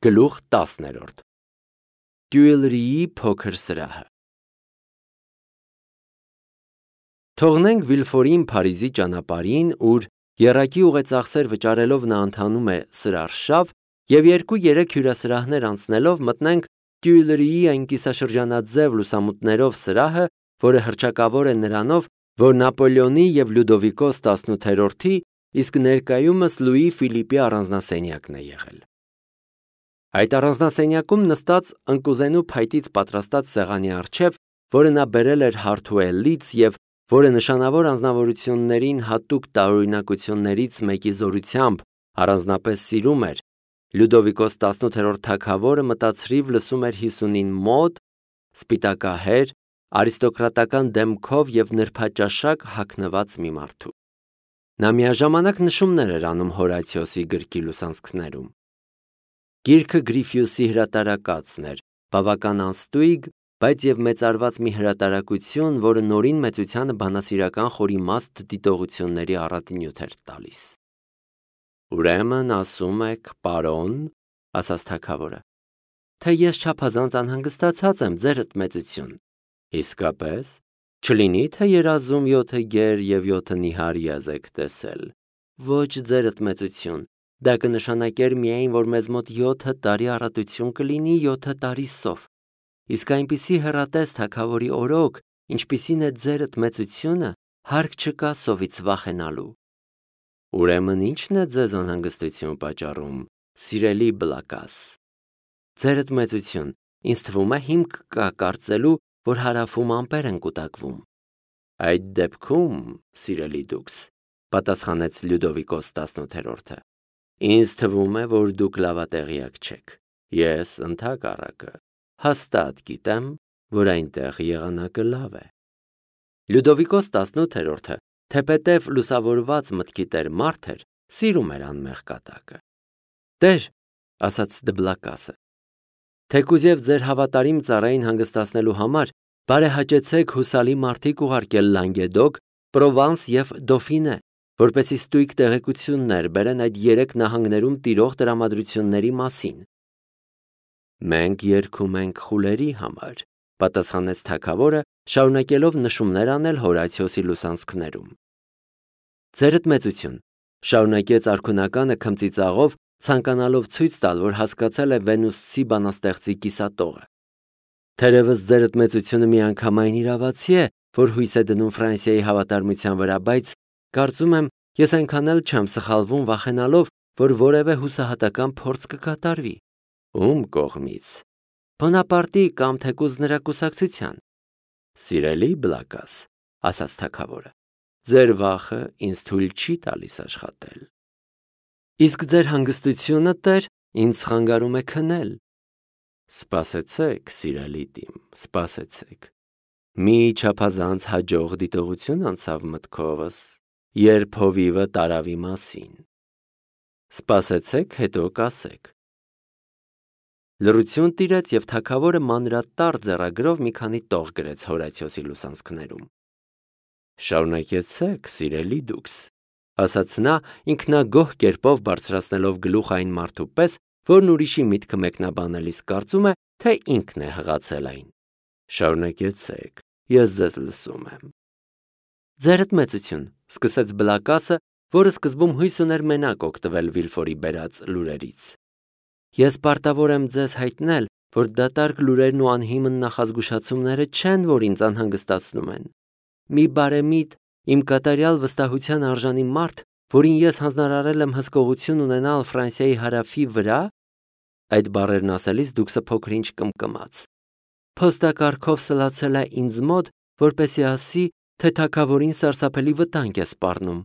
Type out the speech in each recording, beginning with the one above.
Գլուխ 10 Տյուիլրիի փոքր սրահը Թողնենք Վիլֆորին Փարիզի ճանապարհին, ուր եռակի ուղեծախսեր վճարելով նա ընթանում է սրարշավ, և 2-3 հյուրասրահներ անցնելով մտնենք Տյուիլրիի այն կիսաշրջանաձև լուսամուտներով սրահը, որը հռչակավոր է նրանով, որ Նապոլեոնի և Լյուդովիկոս 18-րդի, իսկ ներկայումս Լուի Ֆիլիպի առանձնասենյակն է եղել։ Այդ առանձնասենյակում նստած ընկուզենու փայտից պատրաստած սեղանի առջև, որը նա բերել էր Հարթուելից և որը նշանավոր անձնավորություններին հատուկ տարօրինակություններից մեկի զորությամբ առանձնապես սիրում էր, Լյուդովիկոս 18-րդ թագավորը մտածրիվ լսում էր 50-ին մոտ, սպիտակահեր, արիստոկրատական դեմքով և նրբաճաշակ հագնված մի մարդու։ Նա միաժամանակ նշումներ էր անում Հորացիոսի գրքի լուսանցքներում։ Գիրքը Գրիֆիուսի հրատարակածն էր, բավական անստույգ, բայց և մեծարված մի հրատարակություն, որը նորին մեծությանը բանասիրական խորիմաստ դիտողությունների առատինյութ էր տալիս։ Ուրեմն ասում եք, պարոն, ասաց թագավորը, թե ես չափազանց անհանգստացած եմ, ձերդ մեծություն։ Իսկապես, չլինի թե երազում 7 գեր և 7 նիհար եզ եք տեսել։ Ոչ, ձերդ մեծություն, դա կնշանակեր միայն, որ մեզ մոտ 7 տարի առատություն կլինի 7 տարի սով։ Իսկ այնպիսի հեռատես թագավորի օրոք, ինչպիսին է ձերդ մեծությունը, հարկ չկա սովից վախենալու։ Ուրեմն ի՞նչն է ձեզ անհանգստություն պատճառում, սիրելի Բլակաս։ Ձերդ մեծություն, ինձ թվում է հիմք կա կարծելու, որ հարավում ամպեր են կուտակվում։ Այդ դեպքում, սիրելի դուքս, պատասխանեց Լյուդովիկոս 18-րդը, ինձ թվում է, որ դուք լավատեղյակ չեք։ Ես ընդհակառակը հաստատ գիտեմ, որ այնտեղ եղանակը լավ է։ Լյուդովիկոս 18-րդը, թեպետև լուսավորված մտքի տեր մարդ էր, սիրում էր անմեղ կատակը։ Տեր, ասաց Դբլակասը, թեկուզ և ձեր հավատարիմ ծառային հանգստացնելու համար բարեհաճեցեք հուսալի մարդիկ ուղարկել Լանգեդոկ, Պրովանս և Դոֆինե, որպեսզի ստույգ տեղեկություններ բերեն այդ 3 նահանգներում տիրող տրամադրությունների մասին։ Մենք երգում ենք խուլերի համար, պատասխանեց թագավորը, շարունակելով նշումներ անել Հորացիոսի լուսանցքներում։ Ձերդ մեծություն, շարունակեց արքունականը քմծիծաղով, ցանկանալով ցույց տալ, որ հասկացել է Վենուսցի բանաստեղծի կիսատողը։ Թերևս ձերդ մեծությունը միանգամայն իրավացի է, որ հույս է դնում Ֆրանսիայի հավատարմության վրա, բայց կարծում եմ, ես այնքան էլ չեմ սխալվում վախենալով, որ որևէ հուսահատական փորձ կկատարվի։ Ում կողմից։ Բոնապարտի կամ թեկուզ նրա կուսակցության։ Սիրելի Բլակաս, ասաց թագավորը, ձեր վախը ինձ թույլ չի տալիս աշխատել։ Իսկ ձեր հանգստությունը, տեր, ինձ խանգարում է քնել։ Սպասեցեք, սիրելի տիմ, սպասեցեք։ Մի չափազանց հաջող դիտողություն անցավ մտքովս, երբ հովիվը տարավի մասին։ Սպասեցեք, հետո կասեք։ Լռություն տիրեց և թագավորը մանրատար ձեռագրով մի քանի տող գրեց Հորացիոսի լուսանցքներում։ Շարունակեցեք, սիրելի դուքս, ասաց նա, ինքնագոհ կերպով բարձրացնելով գլուխ այն մարդու պես, որն ուրիշի միտքը մեկնաբանելիս կարծում է, թե ինքն է հղացել այն։ Շարունակեցեք, ես ձեզ լսում եմ։ Ձերդ մեծություն, սկսեց Բլակասը, որը սկզբում հույս ուներ մենակ օգտվել Վիլֆորի բերած լուրերից։ Ես պարտավոր եմ ձեզ հայտնել, որ դատարկ լուրերն ու անհիմն նախազգուշացումները չեն, որ ինձ անհանգստացնում են։ Մի բարեմիտ, իմ կատարյալ վստահության արժանի մարդ, որին ես հանձնարարել եմ հսկողություն ունենալ Ֆրանսիայի հարավի վրա, այդ բառերն ասելիս դուքսը փոքր-ինչ կմկմաց, փոստակարգով սլացել է ինձ մոտ, որպեսզի ասի, թե թագավորին սարսափելի վտանգ է սպառնում։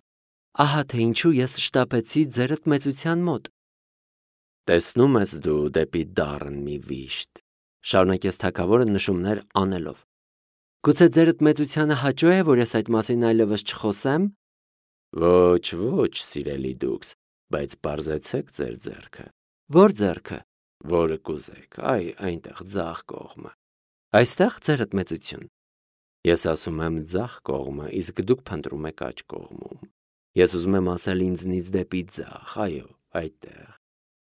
Ահա թե ինչու ես շտապեցի ձերդ մեծության մոտ։ Տեսնում ես դու դեպի դառն մի վիշտ, շարունակեց թագավորը նշումներ անելով։ Գուցե ձերդ մեծությանը հաճո է, որ ես այդ մասին այլևս չխոսեմ։ Ոչ, ոչ, սիրելի դուքս, բայց պարզեցեք ձեր ձեռքը։ Որ ձեռքը։ Որը կուզեք, այնտեղ ձախ կողմը։ Այստեղ ձերդ մեծություն։ Ես ասում եմ ձախ կողմը, իսկ դուք փնտրում եք աջ կողմում։ Ես ուզում եմ ասել ինձնից դեպի ձախ, այո, այդտեղ։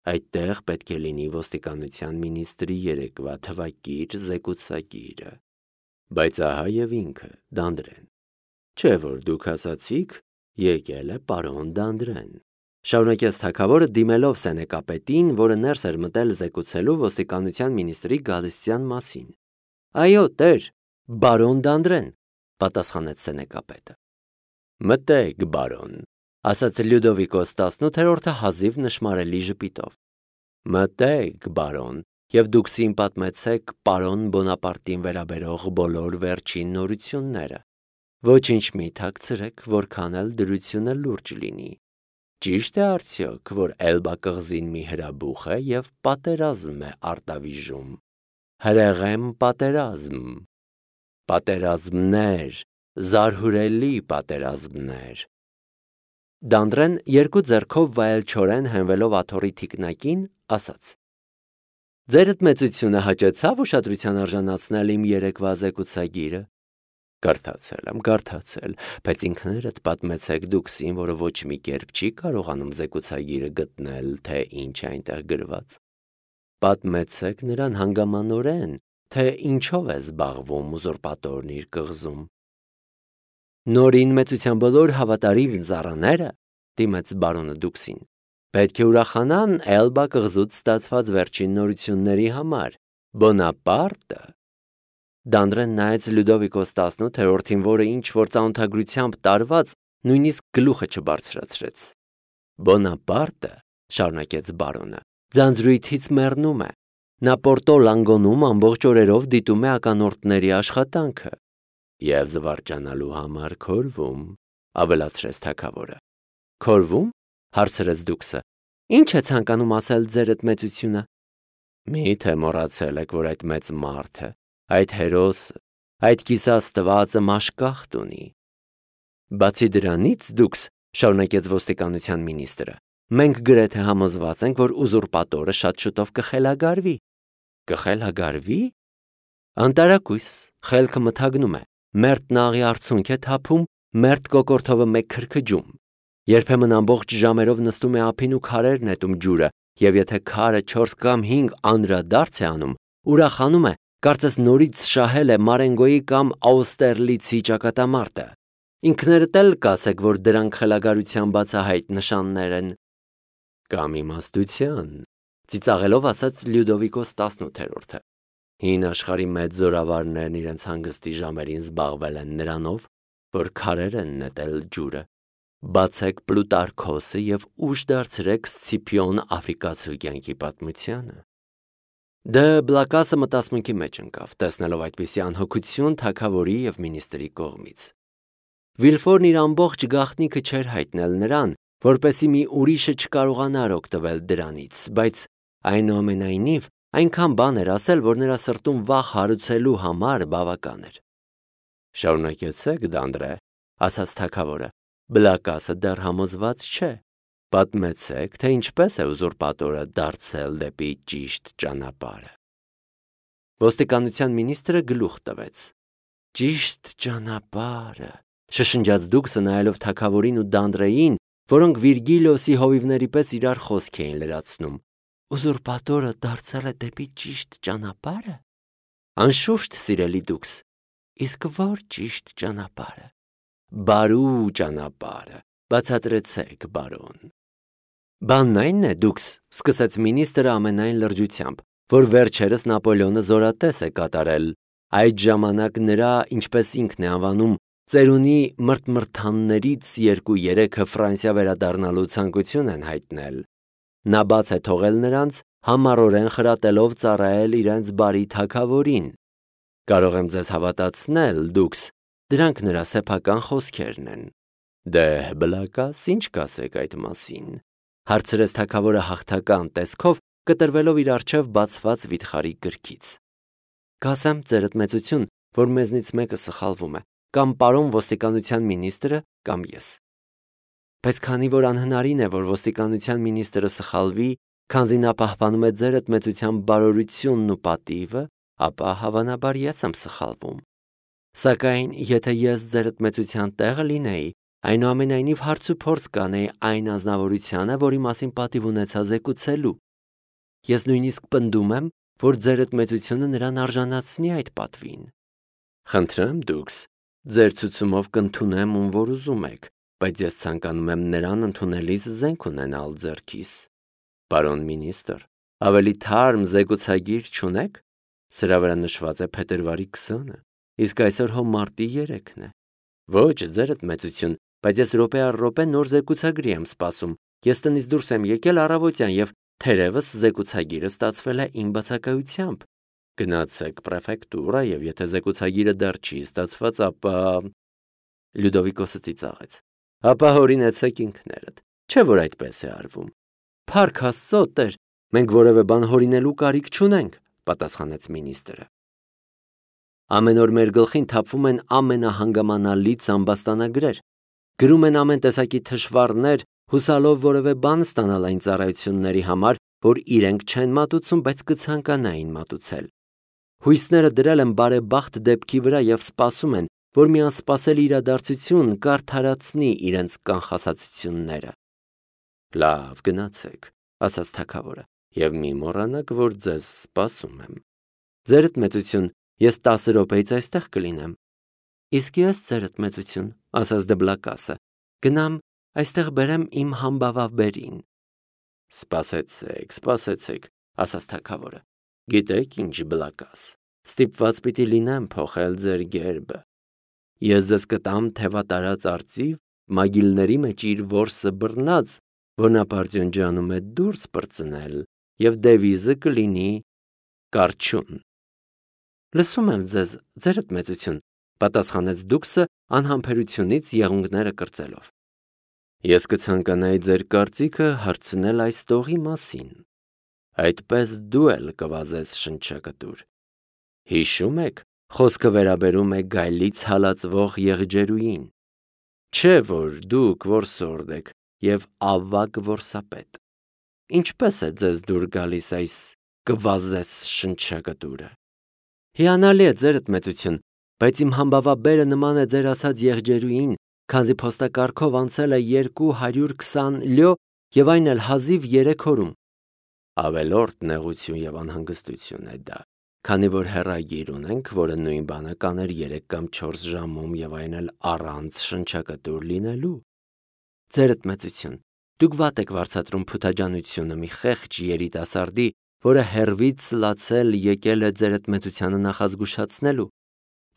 Այդտեղ պետք է լինի ոստիկանության մինիստրի երեկվա թվակիր զեկուցագիրը։ Բայց ահա եւ ինքը, Դանդրեն։ Չէ՞ որ դուք ասացիք, եկել է պարոն Դանդրեն։ Շարունակեց թագավորը դիմելով սենեկապետին, որը ներս էր մտել զեկուցելու ոստիկանության մինիստրի գալստյան մասին։ Այո, տեր, բարոն Դանդրեն, պատասխանեց սենեկապետը։ Մտեք, բարոն, ասաց Լյուդովիկոս 18-րդը հազիվ նշմարելի ժպիտով։ Մտեք, բարոն, եւ դուք սին պատմեցեք պարոն Բոնապարտին վերաբերող բոլոր վերջին նորությունները։ Ոչինչ մի թաքցրեք, որքան էլ դրությունը լուրջ լինի։ Ճիշտ է արդյոք, որ Էլբա կղզին մի հրաբուխ է եւ պատերազմ է արտավիժում։ Հրեղեմ պատերազմ։ Պատերազմներ, զարհուրելի պատերազմներ։ Դանդրեն երկու ձեռքով վայելչորեն հենվելով աթոռի թիկնակին ասաց. Ձերդ մեծությունը հաճեցավ ուշադրության արժանացնել իմ երեկվա զեկուցագիրը։ Կարդացել, բայց ինքներդ պատմեցեք դուքսին, որը ոչ մի կերպ չի կարողանում զեկուցագիրը գտնել, թե ինչ է այնտեղ գրված։ Պատմեցեք նրան հանգամանորեն, թե ինչով է զբաղվում ուզուրպատորն իր կղզում։ Նորին մեծության բոլոր հավատարիմ ծառաները, դիմեց բարոնը դուքսին, պետք է ուրախանան Էլբա կղզուց ստացված վերջին նորությունների համար։ Բոնապարտը Դանդրեն նայեց Լյուդովիկոս 18-րդին, որը ինչ-որ ծանոթագրությամբ տարված նույնիսկ գլուխը չբարձրացրեց։ Բոնապարտը, շարունակեց բարոնը, ձանձրույթից մեռնում է։ Նա Պորտո Լանգոնում ամբողջ օրերով դիտում է ականորդների աշխատանքը եւ զվարճանալու համար քորվում, ավելացրեց թագավորը։ Քորվում, հարցրեց դուքսը։ Ինչ է ցանկանում ասել ձերդ մեծությունը։ Մի՞թե մոռացել եք, որ այդ մեծ մարդը, այդ հերոսը, այդ կիսաստվածը մաշկախտ ունի։ Բացի դրանից դուքս, շարունակեց ոստիկանության մինիստրը, մենք գրեթե համոզված ենք, որ ուզուրպատորը շատ շուտով կխելագարվի։ Կխելագարվի։ Անտարակույս, խելքը մթագնում է, մերթ նաղի արցունք է թափում, մերթ կոկորթովը մեկ քրքջում։ Երբեմն ամբողջ ժամերով նստում է ափին ու քարեր նետում ջուրը, եւ եթե քարը 4 կամ 5 անդրադարձ է անում, ուրախանում է, կարծես նորից շահել է Մարենգոյի կամ Աուստերլիցի ճակատամարտը։ Ինքներդ էլ կասեք, որ դրանք խելագարության բացահայտ նշաններ են։ Կամ իմաստության, ծիծաղելով ասաց Լյուդովիկոս 18-րդը։ Հին աշխարհի մեծ զորավարներն իրենց հանգստի ժամերին զբաղվել են նրանով, որ քարեր են նետել ջուրը։ Բացեք Պլուտարքոսը եւ ուշ դարձրեք Սցիփիոն Աֆրիկացու կյանքի պատմությանը։ Դե Բլակասը մտածմունքի մեջ ընկավ, տեսնելով այդպիսի անհոգություն թագավորի եւ մինիստրի կողմից։ Վիլֆորն իր ամբողջ գաղտնիքը չէր հայտնել նրան, որպեսզի մի ուրիշը չկարողանար օգտվել դրանից, բայց այնուամենայնիվ այնքան բան էր ասել, որ նրա սրտում վախ հարուցելու համար բավական էր։ Շարունակեցեք, Դանդրե, ասաց թագավորը, Բլակասը դեռ համոզված չէ։ Պատմեցեք, թե ինչպես է ուզուրպատորը դարձել դեպի ճիշտ ճանապարհը։ Ոստիկանության մինիստրը գլուխ տվեց։ Ճիշտ ճանապարհը, շշնջաց դուքսը նայելով թագավորին ու Դանդրեին, որոնք Վիրգիլիոսի հովիվների պես իրար խոսք էին լրացնում։ Ուզուրպատորը դարձել է դեպի ճիշտ ճանապարհը։ Անշուշտ, սիրելի դուքս, իսկ ո՞ր ճիշտ ճանապարհը։ Բարու ճանապարհը, բացատրեցեք, բարոն։ Բանն այն է, դուքս, սկսեց մինիստրը ամենայն լրջությամբ, որ վերջերս Նապոլեոնը զորատես է կատարել։ Այդ ժամանակ նրա, ինչպես ինքն է անվանում, ծերունի մրթմրթաններից 2-3-ը Ֆրանսիա վերադառնալու ցանկություն են հայտնել։ Նա բաց է թողել նրանց, համառորեն խրատելով ծառայել իրենց բարի թագավորին։ Կարող եմ ձեզ հավատացնել, դուքս, դրանք նրա սեփական խոսքերն են։ Դե Բլակաս, ինչ կասեք այդ մասին, հարցրեց թագավորը հաղթական տեսքով, կտրվելով իր առջև բացված վիթխարի գրքից։ Կասեմ, ձերդ մեծություն, որ մեզնից մեկը սխալվում է, կամ պարոն ոստիկանության մինիստրը, կամ ես։ Բայց քանի որ անհնարին է, որ ոստիկանության մինիստրը սխալվի, քանզի նա պահպանում է ձերդ մեծության բարօրությունն ու պատիվը, ապա հավանաբար ես եմ սխալվում։ Սակայն, եթե ես ձերդ մեծության տեղը լինեի, այնուամենայնիվ հարց ու փորձ կանեի այն ազնվորությանը, որի մասին պատիվ ունեցա զեկուցելու, Ես նույնիսկ պնդում եմ, որ ձերդ մեծությունը նրան արժանացնի այդ պատվին։ Խնդրեմ դուքս, ձեր ցուցումով կընդունեմ ում որ ուզում եք, բայց ես ցանկանում եմ նրան ընդունելիս զենք ունենալ ձեռքիս։ Պարոն մինիստր, ավելի թարմ զեկուցագիր չունեք։ Սրա վրա նշված է փետրվարի 20-ը, իսկ այսօր հո մարտի 3-ն է։ Ոչ, ձերդ մեծություն, բայց ես րոպե առ րոպե նոր զեկուցագրի եմ սպասում։ Ես տնից դուրս եմ եկել առավոտյան եւ թերևս զեկուցագիրը ստացվել է իմ բացակայությամբ։ Գնացեք պրեֆեկտուրա եւ եթե զեկուցագիրը դեռ չի ստացված, ապա Լյուդովիկոսը ծիծաղեց։ Ապա հորինեցեք ինքներդ։ Չէ՞ որ այդպես է արվում։ Փառք Աստծո, տեր, մենք որևէ բան հորինելու կարիք չունենք, պատասխանեց մինիստրը։ Ամեն օր մեր գլխին թափվում են ամենահանգամանալից ամբաստանագրեր։ Գրում են ամեն տեսակի թշվառներ, հուսալով որևէ բան ստանալ այն ծառայությունների համար, որ իրենք չեն մատուցում, բայց կցանկանային մատուցել։ Հույսները դրել են բարեբախտ դեպքի վրա եւ սպասում են, որ մի անսպասելի իրադարձություն կարդարացնի իրենց կանխասացությունները։ Լավ, գնացեք, ասաց թագավորը, եւ մի մոռանաք, որ ձեզ սպասում եմ։ Ձերդ մեծություն, ես 10 րոպեից այստեղ կլինեմ։ Իսկ ես ձերդ մեծություն, ասաց Դբլակասը, գնամ այստեղ բերեմ իմ համբավաբերին։ Սպասեցեք, ասաց թագավորը։ Գիտեք ինչ, Բլակաս, ստիպված պիտի լինեմ փոխել ձեր գերբը։ Ես ձեզ կտամ թևատարած արծիվ, մագիլների մեջ իր որսը բռնած, որ նա պարծյունջանում է դուրս պրծնել, եւ դևիզը կլինի կարճուն։ Լսում եմ ձեզ, ձերդ մեծություն, պատասխանեց դուքսը անհամբերությունից եղունգները կրծելով։ Ես կցանկանայի ձեր կարծիքը հարցնել այս տողի մասին։ Այդպես դու էլ կվազես շնչակտուր։ Հիշում եք, խոսքը վերաբերում է գայլից հալածվող եղջերուին։ Չէ՞ որ դուք որսորդ եք եւ ավագ որսապետ։ Ինչպես է ձեզ դուր գալիս այս կվազես շնչակտուրը։ Հիանալի է ձերդ մեծություն, բայց իմ համբավաբերը նման է ձեր ասած եղջերուին, քանզի փոստակարգով անցել է 220 լյո եւ այն էլ հազիվ 3 օրում։ Ավելորդ նեղություն եւ անհանգստություն է դա, քանի որ հեռագիր ունենք, որը նույն բանը կաներ 3 կամ 4 ժամում եւ այն էլ առանց շնչակտուր լինելու։ Ձերդ մեծություն, դուք վատ եք վարձատրում փութաջանությունը մի խեղճ երիտասարդի, որը հերվից սլացել եկել է ձերդ մեծությանը նախազգուշացնելու։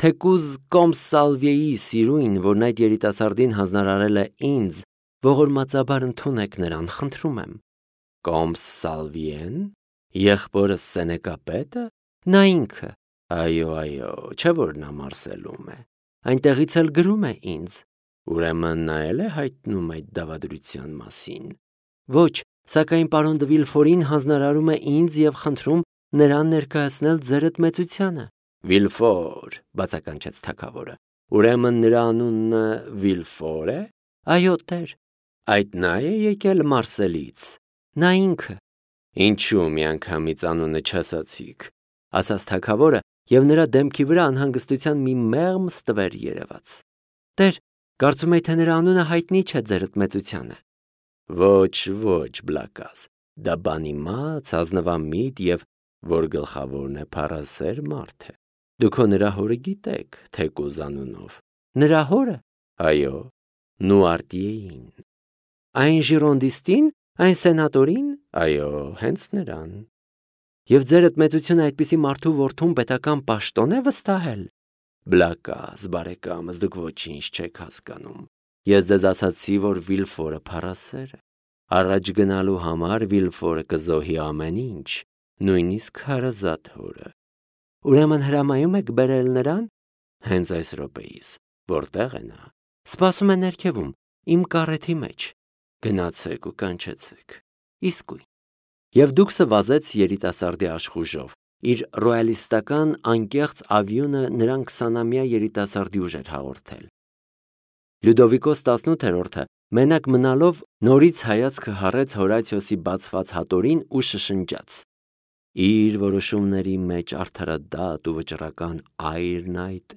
Թեկուզ Կոմսալվիեի սիրույն, որն այդ երիտասարդին հանձնարարել է ինձ, ողորմածաբար ընդունեք նրան, խնդրում եմ։ Կոմսալվիեն, եղբորս Սենեկապետը, նա ինքը։ Այո, չէ որ նա Մարսելում է։ Այնտեղից էլ գրում է ինձ։ Ուրեմն նա էլ է հայտնում այդ դավադրության մասին։ Ոչ, սակայն պարոն դը Վիլֆորին հանձնարարում է ինձ եւ խնդրում նրան ներկայացնել ձերդ մեծությանը։ Վիլֆոր, բացականչեց թագավորը։ Ուրեմն նրա անունը Վիլֆոր է։ Այո, տեր։ Այդ նա է եկել Մարսելից։ Նա ինքը։ Ինչու միանգամից անունը չասացիք, ասաց թագավորը, եւ նրա դեմքի վրա անհանգստության մի մեղմ ստվեր երևաց։ Տեր, կարծում եք թե նրա անունը հայտնի չէ ձերդ մեծությանը։ Ոչ, Բլակաս, դա բանիմաց, ազնվամիտ եւ որ գլխավորն է փառասեր մարդ է։ Դուք նրա հորը գիտեք, թեկուզ անունով։ Նրա հորը։ Այո, Նուարտիեին։ Այն ժիրոնդիստին, այն սենատորին։ Այո, հենց նրան։ Եվ ձերդ մեծությունը այդպիսի մարդու որդուն պետական պաշտոն է վստահել։ Բլակաս, բարեկամս, դուք ոչինչ չեք հասկանում։ Ես ձեզ ասացի, որ Վիլֆորը փառասեր է։ Առաջ գնալու համար Վիլֆորը կզոհի ամեն ինչ, նույնիսկ հարազատ հորը։ Ուրեմն հրամայում եք բերել նրան։ Հենց այս րոպեիս, որտեղ է նա։ Սպասում է ներքևում, իմ կարեթի մեջ։ Գնացեք ու կանչեցեք։ Իսկույն։ Եվ դուքսը վազեց երիտասարդի աշխուժով։ Իր ռոյալիստական անկեղծ ավյունը նրան 20-ամյա երիտասարդի ուժ էր հաղորդել։ Լյուդովիկոս 18-րդը մենակ մնալով նորից հայացքը հառեց Հորացիոսի բացված հատորին ու շշնջաց. Իր որոշումների մեջ արդարադատ ու վճռական այրն այդ։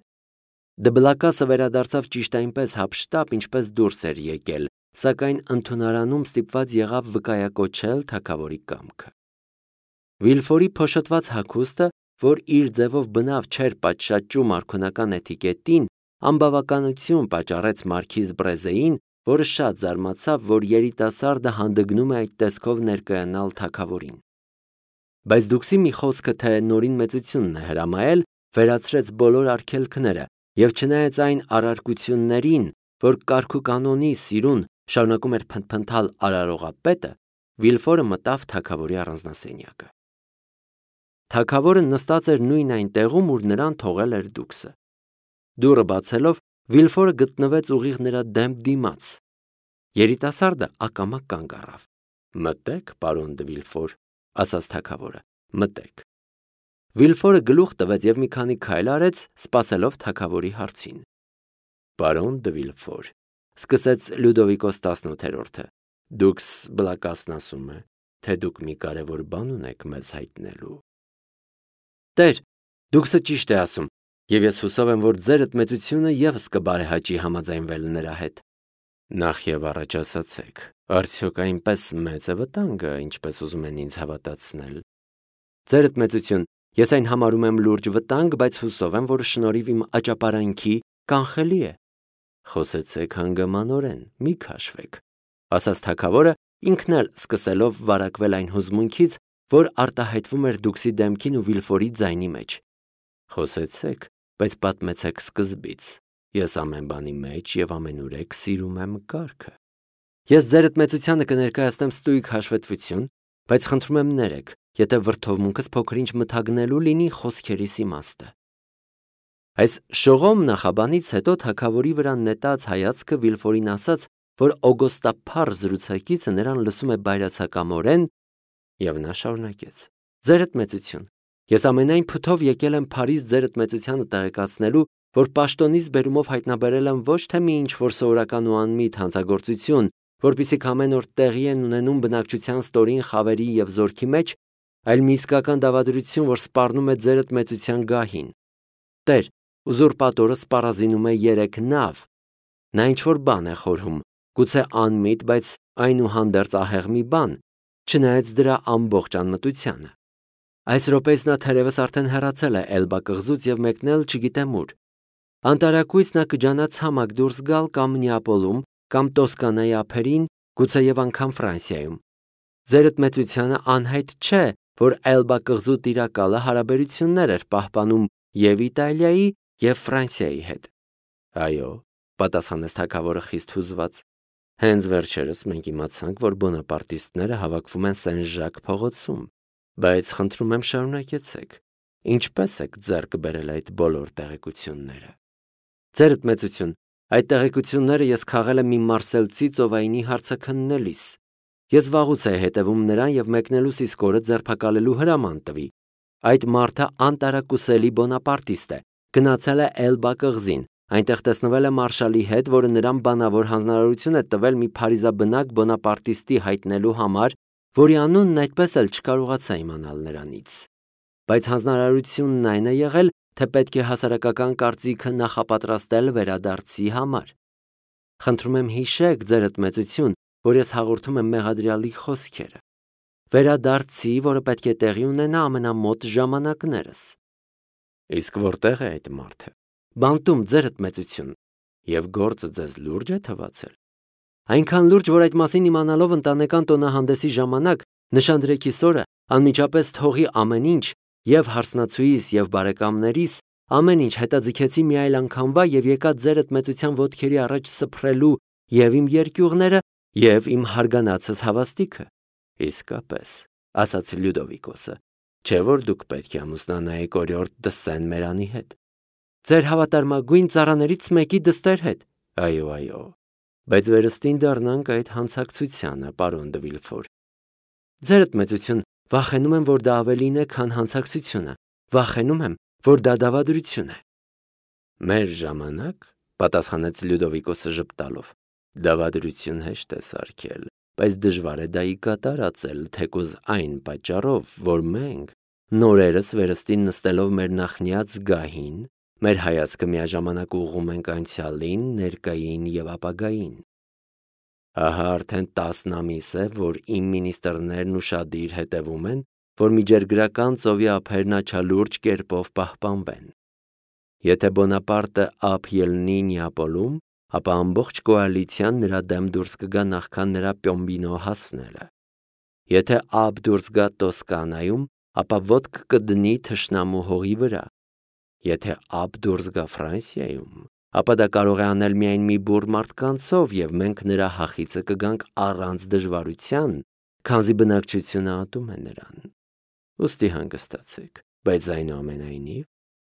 Դբլակասը վերադարձավ ճիշտ այնպես հափշտապ, ինչպես դուրս էր եկել, սակայն ընդունարանում ստիպված եղավ վկայակոչել թագավորի կամքը։ Վիլֆորի փոշոտված հագուստը, որ իր ձևով բնավ չէր պատշաճում արքունական էթիկետին, անբավականություն պատճառեց մարքիզ Բրեզեին, որը շատ զարմացավ, որ երիտասարդը հանդգնում է այդ տեսքով ներկայանալ թագավորին։ Բայց դուքսի մի խոսքը, թե նորին մեծությունն է հրամայել, վերացրեց բոլոր արգելքները, եւ չնայած այն առարկություններին, որ կարգուկանոնի սիրուն շարունակում էր փնթփնթալ արարողապետը, Վիլֆորը մտավ թագավորի առանձնասենյակը։ Թագավորը նստած էր նույն այն տեղում, ուր նրան թողել էր դուքսը։ Դուռը բացելով, Վիլֆորը գտնվեց ուղիղ նրա դեմ դիմաց։ Երիտասարդը ակամա կանգ առավ։ «Մտեք, պարոն դը Վիլֆոր», ասաց թագավորը, «մտեք»։ Վիլֆորը գլուխ տվեց եւ մի քանի քայլ արեց, սպասելով թագավորի հարցին։ «Պարոն դը Վիլֆոր», սկսեց Լյուդովիկոս 18-րդը, «դուքս բլակասն ասում է, թե դուք մի կարևոր բան ունեք մեզ հայտնելու»։ «Տեր, դուքսը ճիշտ է ասում, եւ ես հուսով եմ, որ ձերդ մեծությունը եւս կբարեհաճի համաձայնվել նրա հետ»։ «Նախ եւ առաջ ասացեք, արդյոք այնպես մեծ է վտանգը, ինչպես ուզում են ինձ հավատացնել»։ «Ձերդ մեծություն, ես այն համարում եմ լուրջ վտանգ, բայց հուսով եմ, որ շնորհիվ իմ աճապարանքի կանխելի է»։ «Խոսեցեք հանգամանորեն, մի քաշվեք», ասաց թագավորը, ինքն էլ սկսելով վարակվել այն հուզմունքից, որ արտահայտվում էր դուքսի դեմքին ու Վիլֆորի ձայնի մեջ։ «Խոսեցեք, բայց պատմեցեք սկզբից։ Ես ամեն բանի մեջ եւ ամենուրեք սիրում եմ կարգը»։ «Ես ձերդ մեծությանը կներկայացնեմ ստույգ հաշվետվություն, բայց խնդրում եմ ներեք, եթե վրդովմունքս փոքր-ինչ մթագնելու լինի խոսքերիս իմաստը»։ Այս շողոմ նախաբանից հետո թագավորի վրա նետած հայացքը Վիլֆորին ասաց, որ օգոստափառ զրուցակիցը նրան լսում է բայրացակամորեն, եւ նա շարունակեց. «Ձերդ մեծություն, ես ամենայն փութով եկել եմ Փարիզ ձերդ մեծությանը տեղեկացնելու, որ պաշտոնից բերումով հայտնաբերել եմ ոչ թե մի ինչ-որ սովորական ու անմիտ հանցագործություն, որպիսիք ամեն օր տեղի են ունենում բնակչության ստորին խավերի եւ զորքի մեջ, այլ մի իսկական դավադրություն, որ սպառնում է ձերդ մեծության գահին։ Տեր, ուզուրպատորը սպառազինում է 3 նավ։ Նա ինչ-որ բան է խորհում, գուցե անմիտ, բայց այնուհանդերձ ահեղ մի բան, չնայած դրա ամբողջ անմտությանը։ Այս րոպեից նա թերևս արդեն հեռացել է Էլբա կղզուց եւ մեկնել չգիտեմ ուր։ Անտարակույս նա կջանա ցամաք դուրս գալ կամ Նեապոլում, կամ Տոսկանայի ափերին, գուցե եւ անգամ Ֆրանսիայում։ Ձերդ մեծությանը անհայտ չէ, որ Էլբա կղզու տիրակալը հարաբերություններ էր պահպանում եւ Իտալիայի եւ Ֆրանսիայի հետ։ Այո, պատասխանեց թագավորը խիստ հուզված։ Հենց վերջերս մենք իմացանք, որ բոնապարտիստները հավաքվում են Սեն-Ժակ փողոցում, բայց խնդրում եմ շարունակեցեք։ Ինչպես եք ձեռք բերել այդ բոլոր տեղեկությունները։ Ձերդ մեծություն, այդ տեղեկությունները ես քաղել եմ մի մարսելցի ծովայինի հարցաքննելիս։ Ես վաղուց էի հետևում նրան եւ մեկնելուս իսկ օրը ձերբակալելու հրաման տվի։ Այդ մարդը անտարակուսելի բոնապարտիստ է, գնացել է Էլբա կղզին, այնտեղ տեսնվել է մարշալի հետ, որը նրան բանավոր հանձնարարություն է տվել մի փարիզաբնակ բոնապարտիստի հայտնելու համար, որի անունն այդպես էլ չկարողացա իմանալ նրանից։ Բայց հանձնարարությունն այն է եղել, թե պետք է հասարակական կարծիքը նախապատրաստել վերադարձի համար։ Խնդրում եմ հիշեք, ձերդ մեծություն, որ ես հաղորդում եմ մեղադրյալի խոսքերը։ Վերադարձի, որը պետք է տեղի ունենա ամենամոտ ժամանակներս։ Իսկ որտեղ է այդ մարդը։ Բանտում, ձերդ մեծություն, եւ գործը ձեզ լուրջ է թվացել։ Այնքան լուրջ, որ այդ մասին իմանալով ընտանեկան տոնահանդեսի ժամանակ նշանդրեքիս օրը անմիջապես թողի ամեն ինչ, եւ հարսնացուիս եւ բարեկամներիս, ամեն ինչ հետաձգեցի մի այլ անգամվա եւ եկա ձերդ մեծության ոտքերի առաջ սփռելու եւ իմ երկյուղները եւ իմ հարգանացս հավաստիքը։ Իսկապես, ասաց Լյուդովիկոսը, չէ՞ որ դուք պետք է ամուսնանայիք օրիորդ դը Սեն-Մերանի հետ։ Ձեր հավատարմագույն ծառաներից մեկի դստեր հետ։ Այո, այո։ Բայց վերստին դառնանք այդ հանցակցությանը, պարոն դը Վիլֆոր։ Ձերդ մեծություն, վախենում եմ, որ դա ավելին է, քան հանցակցությունը։ Վախենում եմ, որ դա դավադրություն է։ Մեր ժամանակ, պատասխանեց Լյուդովիկոսը ժպտալով, դավադրություն հեշտ է սարքել, բայց դժվար է դա ի կատարածել, թեկուզ այն պատճառով, որ մենք նորերս վերստին նստելով մեր նախնյաց գահին, մեր հայացքը միաժամանակ ուղղում ենք անցյալին, ներկային եւ ապագային։ Ահա արդեն 10 ամիս է, որ իմ մինիստրներն ուշադիր հետևում են որ միջերգրական ծովի ափերն աչալուրջ կերպով պահպանվեն։ Եթե Բոնապարտը ափ ելնի Նեապոլում, ապա ամբողջ կոալիցիան նրա դեմ դուրս կգա նախքան նրա Պյոմբինո հասնելը։ Եթե ափ դուրս գա Տոսկանայում, ապա ոտք կդնի թշնամու հողի վրա։ Եթե ափ դուրս գա Ֆրանսիայում, ապա դա կարող է անել միայն մի բուռ մարդկանցով, եւ մենք նրա հախիծը կգանք առանց դժվարության, քանզի բնակչությունը ատում է նրան։ Ուստի հանգստացեք, բայց այնուամենայնիվ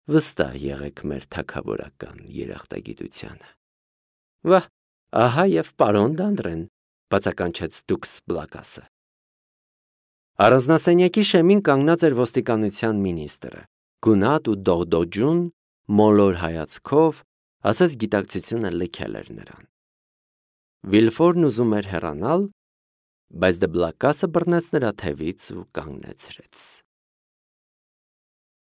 վստահ եղեք մեր թագավորական երախտագիտությանը։ Վահ, ահա եւ պարոն Դանդրեն, բացականչեց դուքս Բլակասը։ Առանձնասենյակի շեմին կանգնած էր ոստիկանության մինիստրը, գունատ ու դողդոջուն, մոլոր հայացքով, ասես գիտակցությունը լքել էր նրան։ Վիլֆորն ուզում էր հեռանալ, բայց Դե Բլակասը բռնեց նրա թևից ու կանգնեցրեց։